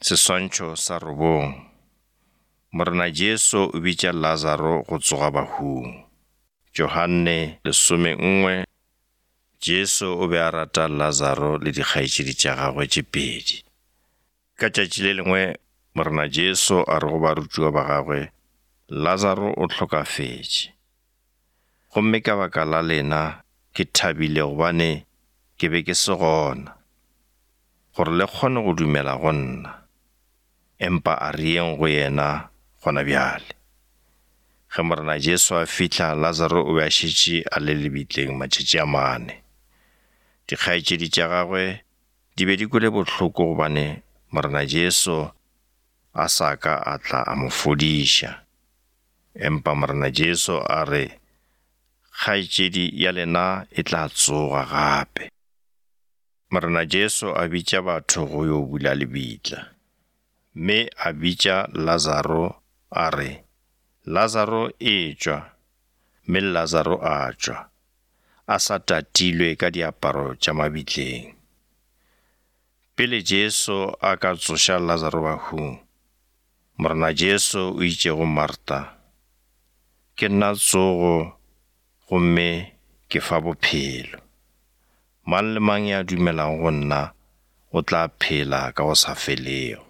Seswantšho sa 9. Morena Jesu o bitša Lazaro go tsoga bahung. Johane 11. Jesu o be a rata Lazaro le dikgaetšedi tša gagwe tše pedi. Ka tšatši le lengwe, morena Jesu a re go barutiwa ba gagwe, Lazaro o hlokafetše. Gomme ka baka la lena, ke thabile gobane ke be ke se gona, gore le kgone go dumela go nna. Empa a rieng go yena gona bjale. Ge morena Jesu a fihla, Lazaro o be a šetše a le lebitleng matšatši a 4. Dikgaetšedi tša gagwe di be di kwele bohloko gobane morena Jesu a sa ka a tla a mo fodiša. Empa morena Jesu a re, kgaetšedi ya lena e tla tsoga gape. Morena Jesu a bitša batho go yo bula lebitla, mme a bitša Lazaro a re, Lazaro e tšwa, mme Lazaro a tšwa, a sa tatilwe ka diaparo tša mabitleng. Pele Jesu a ka tsoša Lazaro bahung, morena Jesu o itše go Marta, ke nna tsogo gomme ke fa bophelo. Mang le mang ya dumelago go nna o tla phela ka go sa felego.